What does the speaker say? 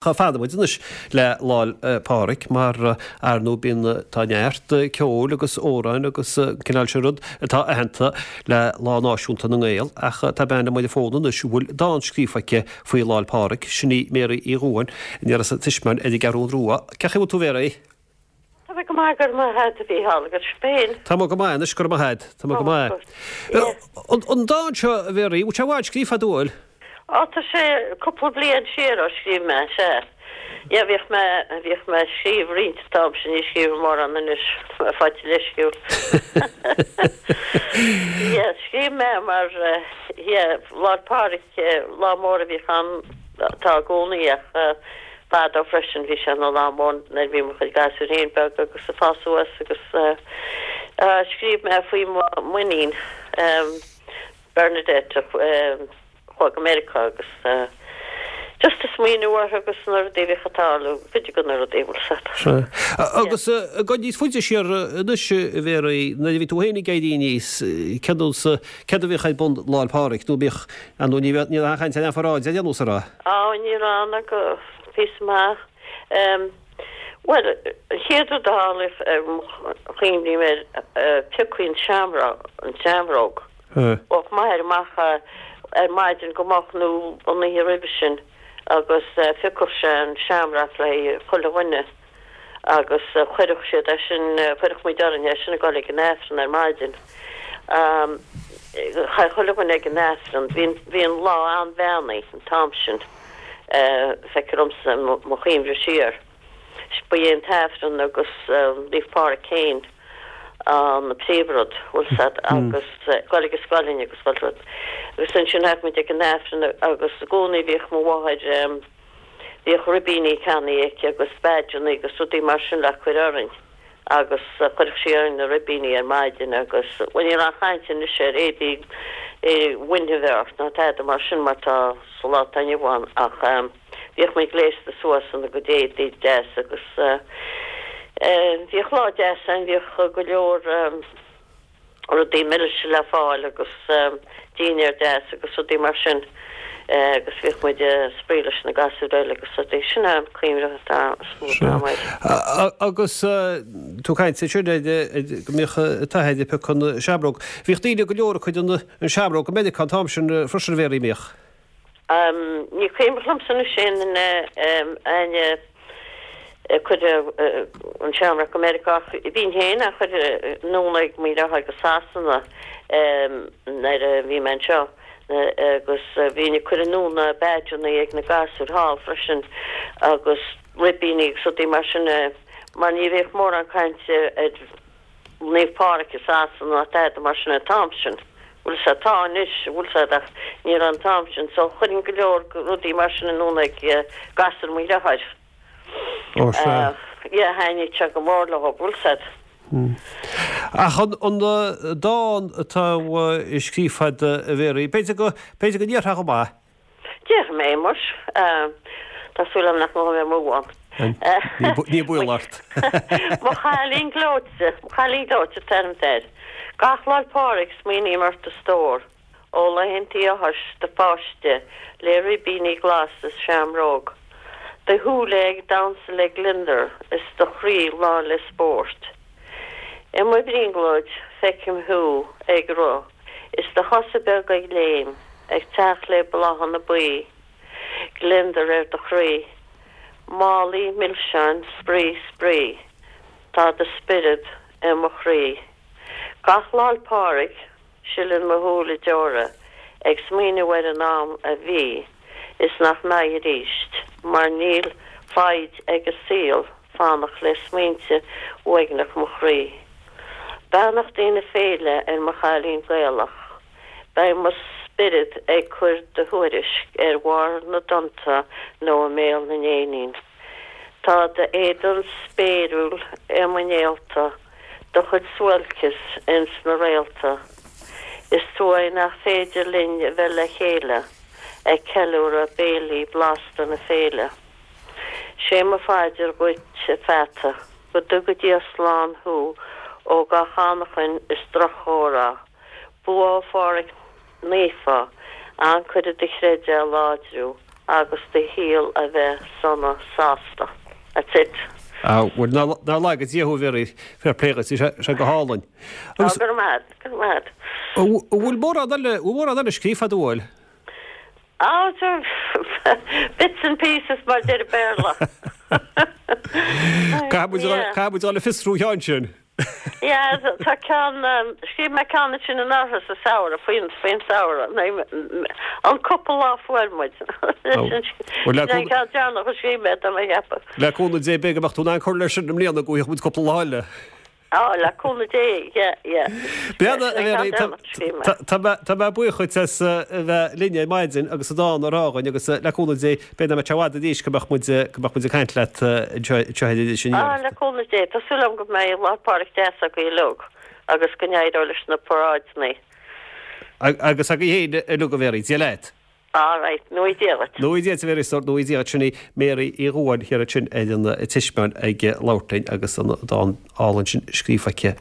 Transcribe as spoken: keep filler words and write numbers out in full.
Fanfaidh muid anois le Lá'l Pádraig mar ar ndóigh bíonn tá neart ceoil agus amhráin agus cineál sin rud atá aitheanta le Lá Náisiúnta na nGael ach tá bean liom ar an bhfón anois a bhfuil dán scríofa aici faoi Lá'l Pádraig, sin í Mary Uí Dhubháin, as an Tismeáin ar an gCeathrú Rua. Cén chaoi a bhfuil tú Mary? Tá mé go maith go raibh maith agat a Mhícheál agus féin. Tá mé go maith anois go raibh maith agat, Tá mé go maith. An dán seo a Mhary, bhfuil sé i bhfad scríofa agat bhfuil? Á tá sé cúpla bliain siar ó scríobh mé sé. Yeah bhíodh mé bhíodh mé ag scríobh roinnt an t-am sin ní scríobhaim mórán anois faighte leisciúil. Yeah scríobh mé mar yeah Lá'l Pádraig lá mór a bhíodh ann tá i gcónaí ach fadó freisin bhí sé ina lá mór nuair a bhí mo chuid gasúir féin beag agus ag fás suas agus scríobh mé faoi m'iníon Bernadette chuaigh go Meiriceá agus just ag smaoineamh orthu agus na rudaí a bhíodh ag tarlú, cuid de na rudaí bhfuil 's agat. Sea. Agus ag dul níos faide siar anois a Mhary, nuair a bhí tú féin ag éirí aníos, céard céard a bhíodh ar bun Lá'l Pádraig nó bíodh, ar ndóigh ní bheadh, ní raibh aon chaint ar aon pharáid ar aon nós, an raibh? Á, ní raibh ná go píosa maith. Bhuel, an chéad rud a tharla, cuimhním air, piocadh an seamróg, an tseamróg. Bheadh m'athair amach ar maidin go moch nó an oíche roimhe sin agus phiocfadh sé an seamróc le haghaidh chuile dhuine agus chuirfeadh siad é sin, chuirfeadh muid orainn é sin ag dul ag an Aifreann ar maidin. Chaith chuile dhuine ag an Aifreann. Bhí an, bhí an lá an-bheannaithe an t-am sin, feictear domsa, mo chuimhne siar. Ba é an tAifreann agus Naomh Pádraig féin an príomhrud, bhfuil 's agat, agus dul ag an scoil linn agus chuile rud. Agus ansin théadh muid ag an Aifreann agus i gcónaí bhíodh mo mháthair, bhíodh ribíní ceannaithe aici agus badgeanna agus rudaí mar sin le cur orainn agus chuirfeadh sí orainn na ribíní ar maidin agus, bhuel ní raibh aon chaint anois ar éadaí bhainfidh a bheith ort ná tada mar sin mar tá sa lá atá inniu ann ach, Bhíodh muid gléasta suas ina gcuid éadaí deas agus bhíodh lá deas ann, bhíodh go leor rudaí milse le fáil agus dinnéar deas agus rudaí mar sin agus bhíodh muid ag spraoi leis na gasúir eile agus rudaí. Sin an cuimhne atá is mó atá agam air. Agus tú ag caint ansin ar go mbíodh an t-athair ag piocadh an seamróg. Bhíodh daoine go leor ag cur an seamróg go Meiriceá an t-am sin freisin a Mhéaraí, an mbíodh? Ní cuimhin liomsa anois aon duine éinne ag cur an seamróg go Meiriceá ach bhínn féin á chur anonn ag mo dheartháir go Sasana nuair a bhí mé anseo agus bhínn ag cur anonn na badgeanna ag na gasúir thall freisin agus ribíní agus rudaí mar sin mar ní bhíodh mórán cainte ar Naomh Pádraig i Sasana ná tada mar sin an t-am sin. Bhfuil 's agat, tá anois, bhfuil 's agat, ach ní raibh an t-am sin. So chuirfinn go leor rudaí mar sin anonn ag gasúir mo dheartháir. Ó sea. Yeah, thaitnigh sé go mór leo, bhfuil 's agat. Ach an an dán atá scríofa agat a Mhéaraí, b'fhéidir go, b'fhéidir go ndéarfá dhom é? Déarfaidh mé, muis. Tá súil agam nach ngabhfaidh mé amú ann. Ní baol ort. Mo chailín gleoite, mo chailín gleoite an t-ainm atá air. Gach Lá'l Pádraig smaoiním ort a stór, ó laethantaí áthais do pháiste le ribíní glas is seamróg. Do shúile ag damhsa le gliondar is do chroí lán le spórt. I mo bhrionglóid feicim thú ag rith Is do chosa beaga ag léim, ag teacht le bláthanna buí, gliondar ar do chroí. Málaí milseáin, spraoi, spraoi, tá do spiorad i mo chroí. Gach Lá'l Pádraig, sileann mo shúile deora ag smaoineamh ar an am a bhí is nach mbeidh arís, mar níl foighid ag an saol fanacht le smaointe uaigneach mo chroí. Beannachtaí na féile ar mo chailín Gaelach. Beidh mo spiorad ag cur do thuairisc ar bharr na dtonnta nó i mbéal na n-éinín. Tá d'éadan spéiriúil i mo néalta, do chuid suáilceas ins na réalta. Is trua é nach féidir linn a bheith le chéile ag ceiliúradh béilí blasta na féile. Sé mo phaidir dhuit a pheata. Go dtuga Dia slán thú ó gach anachain is droch-chomhrá. Bua ó Phádhraic Naofa, ancaire do chreideamh a láidriú, agus do shaol a bheith sona sásta. That's it. Ah, bhuel nár laga Dia thú a Mhary, fair play dhuit, bhí sé go hálainn. Go raibh maith, go raibh maith. Bhfuil mórán eile, bhfuil mórán eile scríofa agat, an bhfuil? Ah, so bits and pieces mar deir Béarla. Caithfidh muid dul le fiosrú an ceann sin. Yeah, tá ceann scríobh mé ceann sin anuraidh sa samhradh faoin faoin samhradh an cúpla lá fuair muid. Bhuel, le Sin an ceann deireanach a scríobh mé tá mé ag ceapadh. Le cúnamh Dé b'fhéidir go mbeadh tú in ann cur leis sin i mbliana go bhfaighidh muid cúpla lá eile. Á, le cúnamh Dé, yeah, yeah. Beanna a Mhary, tá mé buíoch dhuit as a bheith linn ar maidin agus an dán a rá dhúinn agus le cúnamh Dé b'fhéidir nach mbeidh sé i bhfad arís go mbeadh muid go mbeadh muid ag caint leat anseo anseo ar Iris Á, Aniar. le cúnamh Dé, tá súil agam go mbeidh Lá Pádraig deas agaibh uilig agus go n-éireoidh leis na paráideanna. Agus agaibh féin uilig a Mhary, Dia leat. All right, go ngnóthaí Dia dhuit. Go ngnóthaí Dia duit a Mhary, go ngnóthaí Dia dhuit sin í Mary Uí Dhubháin thiar ansin ar an Tismeáin ag labhairt linn agus an dán álainn sin scríofa aici.